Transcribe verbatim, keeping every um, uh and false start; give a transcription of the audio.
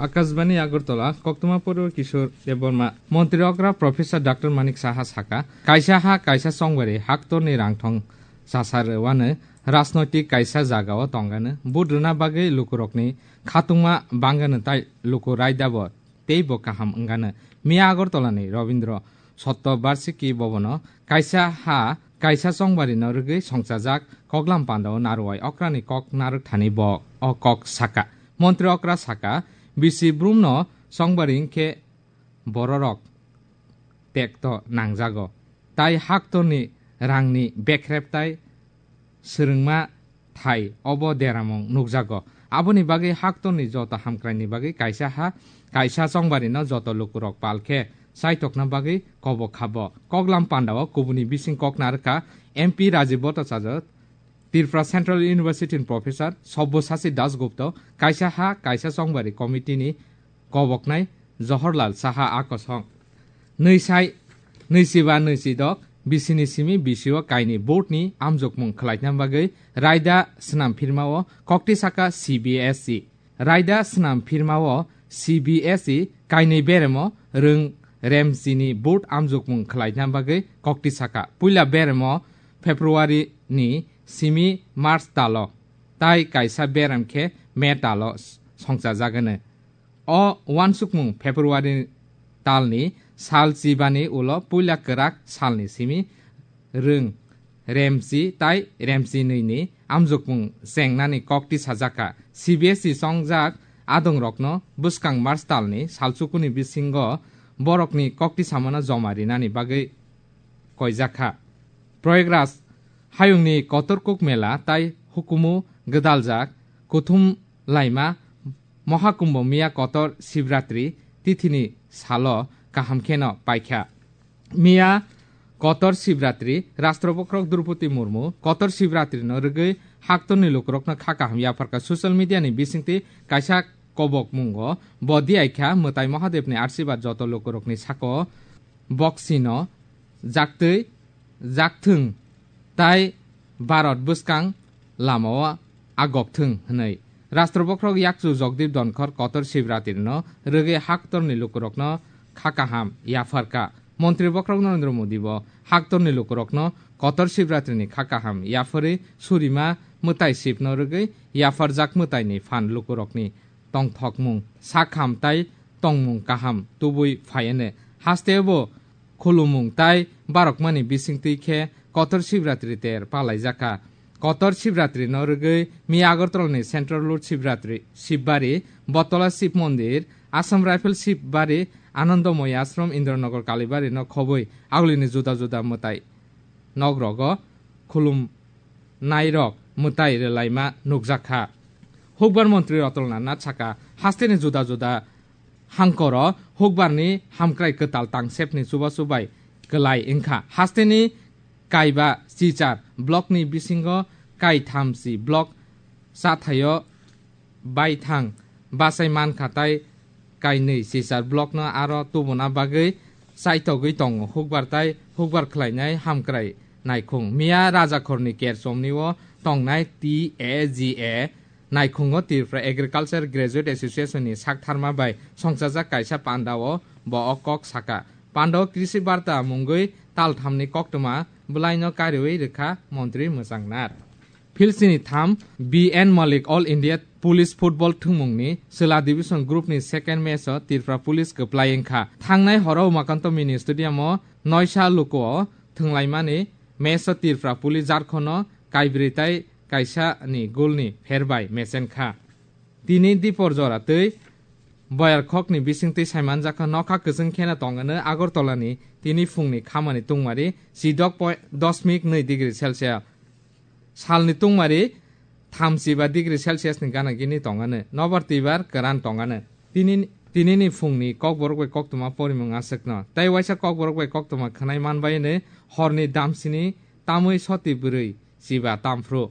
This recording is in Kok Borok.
Akashbani Agartala, koktwma poribo Kishore Debbarma. Montri okra Professor Doctor Manik Saha saka, kaisa ha, kaisa chongbari haktorni rangthong chasarwano rajnoitik kaisa jagao tongano, vote rwna bagwi lukurokni khatungma bangano tai luku raidabo teibo kaham wngano. Miya Agartalani Rabindra Satya Barshiki Bhavan-o kaisa ha, kaisa chongbarino rwgwi songchajak koklam pandao Narwai okrani kok narwk thani bo o kok saka. Montri okra saka, bisi brumno chongbari wngkhe bororok tekto nangjago. Tai haktorni rangni bekrep tai swrwngma thai obo deramung nukjago. Aboni bagwi haktorni joto hamkraini bagwi kaisa ha, kaisa chongbarino joto lukurok pal khe chaitokna bagwi kobok khabo. Koklam pandao kubuni bising kok narwkha M P Rajiv Bhattacharya, Tripura Central University ni Professor Sabyasachi Dasgupta, kaisa ha, kaisa chongbari committee ni koboknai Jawaharlal Saha a kosong. Nwisai, nwisiba nwisidok, bisini simi bisio kaini vote ni amjokmung khwlaina bagwi raida swnam phirmao kokti saka C B S E. Raida swnam phirmao C B S E kaini beremo rwng remsini vote amjokmung khwlaina bagwi kokti saka. Puila beremo February ni simi March talo, tai kaisa berem khe May talo songchajagano. O uansukmung February talni sal chibani ulo puila kwrak salni simi rwng remsi tai remsi nwini amjokmung chengnani kokti sajakha. C B S E chongjak adongrokno bwskang March talni salchukuni bisingo borokni kokti samano joma rinani bagwi koijakha. Prayagraj hayungni Kotor Kumbh Mela tai hukumu gwdaljak kuthum laima Mohakumbh miya Kotor Shivratri tithini salo kaham kheno paikha. Miya Kotor Shivratri, Rashtrapati Draupadi Murmu Kotor Shivratrino rwgwi haktorni lukurokno kha kaham yapharkha. Social media ni bisingtwi kaisa kobokmungo bo diyaikha, Mwtai Mahadevni arsibat joto lukurokni sako boksino jaktwi jakthwng tai Bharat bwskang lamao agokthwng hwnwi. Rashtrapati yakchu Jagdeep Dhankhar Kotor Shivratrino rwgwi haktorni lukurokno kha kaham yapharkha. Montri bokhorok Narendra Modi bo haktorni lukurokno Kotor Shivratrini kha kaham yapharwi surima mwtai Shivno rwgwi yapharjak mwtaini phan lukurokni tongthokmung, sakham tai tongmung kaham tubui phaiane. Hasteo bo khulumung tai barokmani bisingtwi khe Kotor Shivratri ter palaijakha. Kotor Shivratrino rwgwi miya Agartalani Central Lord Shivratri, Shivbari, Botola Shiv Mondir, Assam Rifle Shivbari, Anandamoy Ashram, Indranagar Kalibarino khobwi agulini juda juda mwtai nogrogo khulumnairok mwtai rwlaima nukjakha. Hukbar montri Ratan Lal Nath saka, hasteni juda juda hangkoro hukbarni hamkrai kwtal tangsepni chubachu bai kwlai wngkha. Hasteni kaiba chichar blockni bisingo kaithamsi block chathaio baithang bachai mankha tai kainwi chichar blockno aro tubuna bagwi chaitogwi tongo hukbar tai hukbar khlainai hamkrai naikhung. Miya Rajakhorni Kerchomni-o tongnai T A G A naikhungo Tripura Agriculture Graduate Association-ni saktharma bai songchajak kaisa pandao bo o kok saka. Pandao Krishi Barta mungwi talthamni koktwma bwlaino kariwi rwkha montri Mwchangnar. Philsini tham, B N Malik All India Police Football thwngmungni Chwla Division Group ni second match o Tripura Police kwplai wngkha. Thangnai horo Umakanto Mini Stadium o noisa luku o thwnglaimani match o Tripura Police Jharkhand no kaibrwi tai kaisa ni goal ni pher bai mechenkha. Tini dipor jora tei boyar khokni bisingtwi saimanjakha nokha kwchwng kheno tongano Agartala ni tini phungni khamani tungmari chidok point dosmik nwi degree Celsius. Salni tungmari thamchiba degree Celsius ni gana gini tongano. Nobar twibar kwran tongano. Tini, tinini phungni kokborok bai koktwma porimung aswkno. Tei waisa kokborok bai koktwma khwnai manbai hwnwi horni damsini tamwi soti bwrwi chiba tamphru.